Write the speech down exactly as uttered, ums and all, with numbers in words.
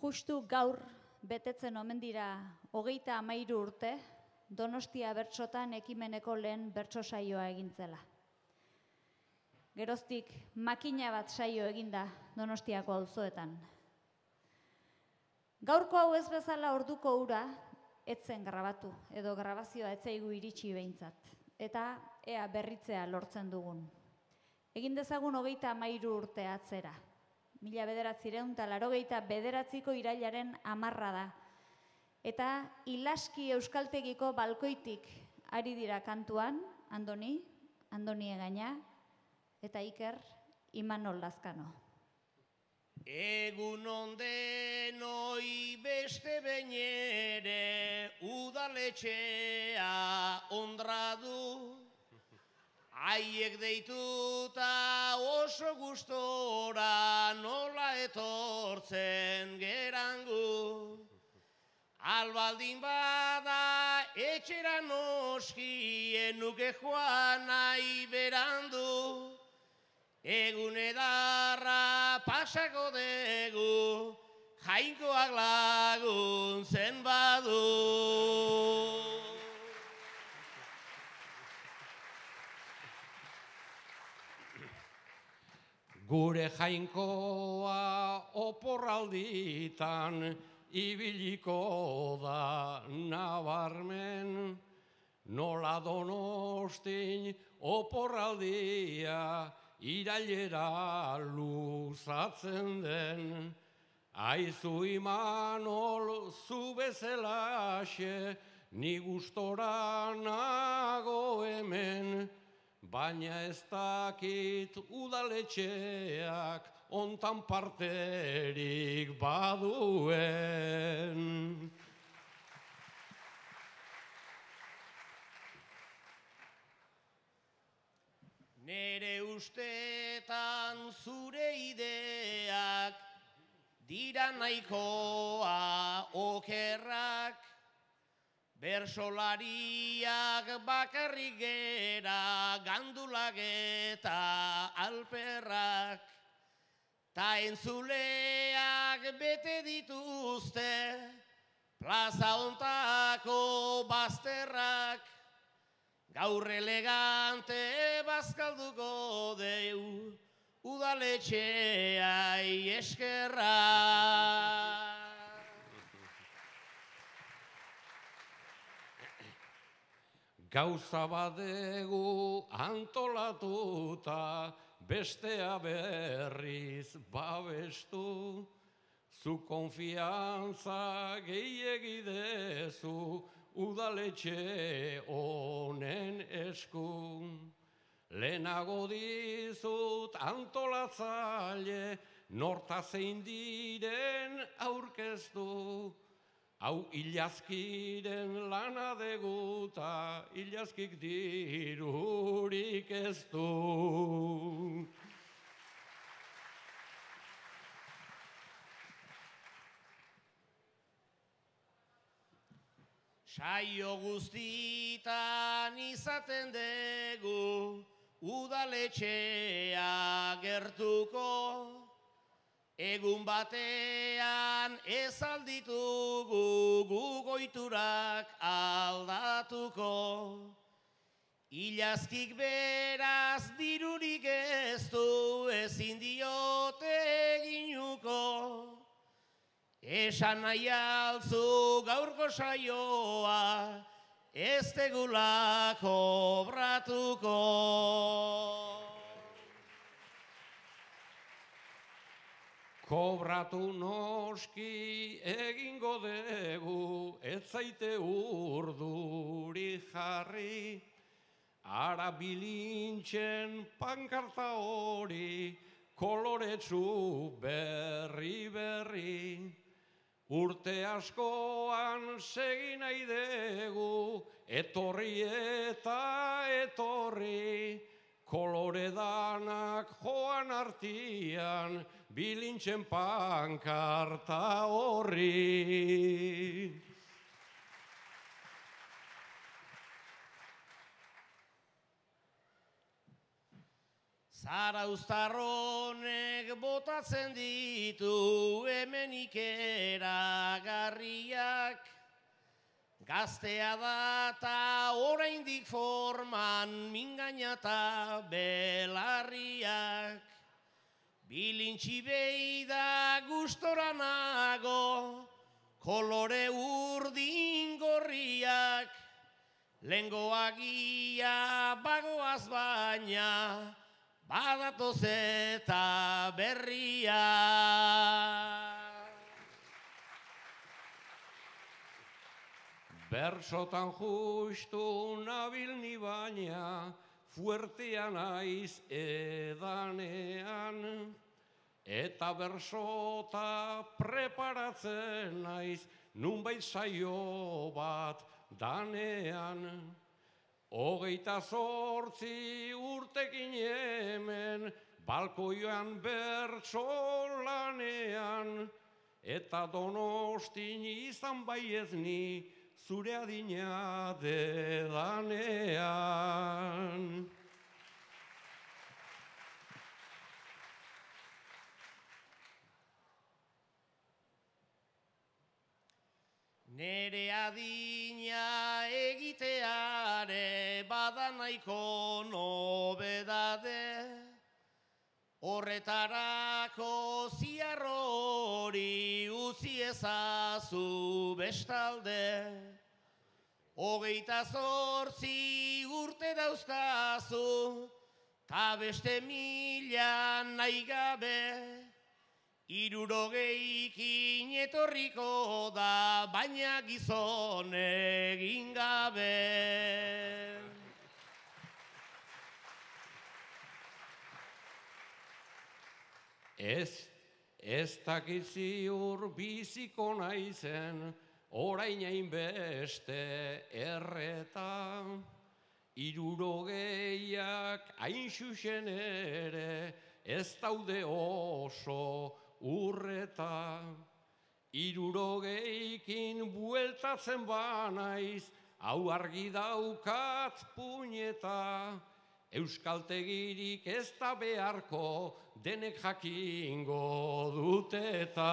Justu gaur betetzen omen dira hogeita hamairu urte Donostia bertsotan ekimeneko lehen bertso saioa egintzela. Geroztik makina bat saio eginda Donostiako auzoetan. Gaurko hau ez bezala orduko ura etzen grabatu edo grabazioa etzaigu iritsi behintzat. Eta ea berritzea lortzen dugun. Egin dezagun hogeita hamairu urte atzera. Mila bederatzireun eta laurogeita bederatziko irailaren hamarra da. Eta Ilaski Euskaltegiko balkoitik ari dira kantuan, Andoni, Andoni Egaña, eta Iker Imanol Lazkano. Egun ondenoi beste behin ere udaletxea ondradu, haiek deituta oso gustora nola etortzen gerangu. Albaldin bada etxera noski enuke joan nahi berandu, egun edarra pasako degu, jainkoak laguntzen badu. Gure jainkoa oporralditan ibiliko da nabarmen, nola Donostin oporraldia irailera luzatzen den. Aizu Imanol zu bezalaxe, ni gustora nago hemen, baina ez dakit udaletxeak ontan parterik baduen. Nere ustetan zure ideak dira nahikoa okerrak, bersolariak bakarrik gera gandulak eta alperrak, ta entzuleak bete dituzte plaza ontako bazterrak, gaur elegante bazkalduko deu udaletxeai eskerra. Gauza badegu antolatuta, bestea berriz babestu, zu konfiantza gehiagidezu udaletxe honen esku. Lehenago dizut antolatzaile, norta zein diren aurkeztu. Hau Ilazkiren lana deguta, Ilazkik dirurik ez du. Saio guztitan izaten degu udaletxea gertuko, egun batean ez alditugu guk ohiturak aldatuko. Ilazkik beraz dirurik ez du ezin diote eginuko. Esan nahi altzu gaurko saioa ez tegula kobratuko. Kobratu noski egingo degu, ez zaite urduri jarri, ara bilintzen pankarta hori, koloretsu berri berri. Urte askoan segin nahi degu, etorri eta etorri, kolore danak joan artian, bilintzen pankarta horri. Zarauztarronek botatzen ditu hemenik eragarriak, gaztea da eta oraindik forman mingaina eta belarriak. Bilintxi behi da gustora nago, kolore urdin gorriak, lengoagia bagoaz baina, badatoz eta berria. Bersotan justu nabil ni baina, fuertea naiz edanean, eta bersota preparatzen naiz, nunbait saio bat danean. Hogeita zortzi urtekin hemen, balkoioan bertso lanean, eta Donostin izan baiez ni, zure adina dedanean. Nere adina egiteare bada nahiko nobedade, horretarako ziarrori utzi ezazu bestalde. Hogeita zortzi urte dauzkazu, ta beste mila nahi gabe, hirurogeikin etorriko da, baina gizon egin gabe. Ez, ez dakit ziur biziko naizen, orain hainbeste erreta. Hirurogeiak hain xuxen ere, ez daude oso urreta. Hirurogeikin bueltatzen banaiz, hau argi daukat puñeta. Euskaltegirik ez da beharko, denek jakingo duteta.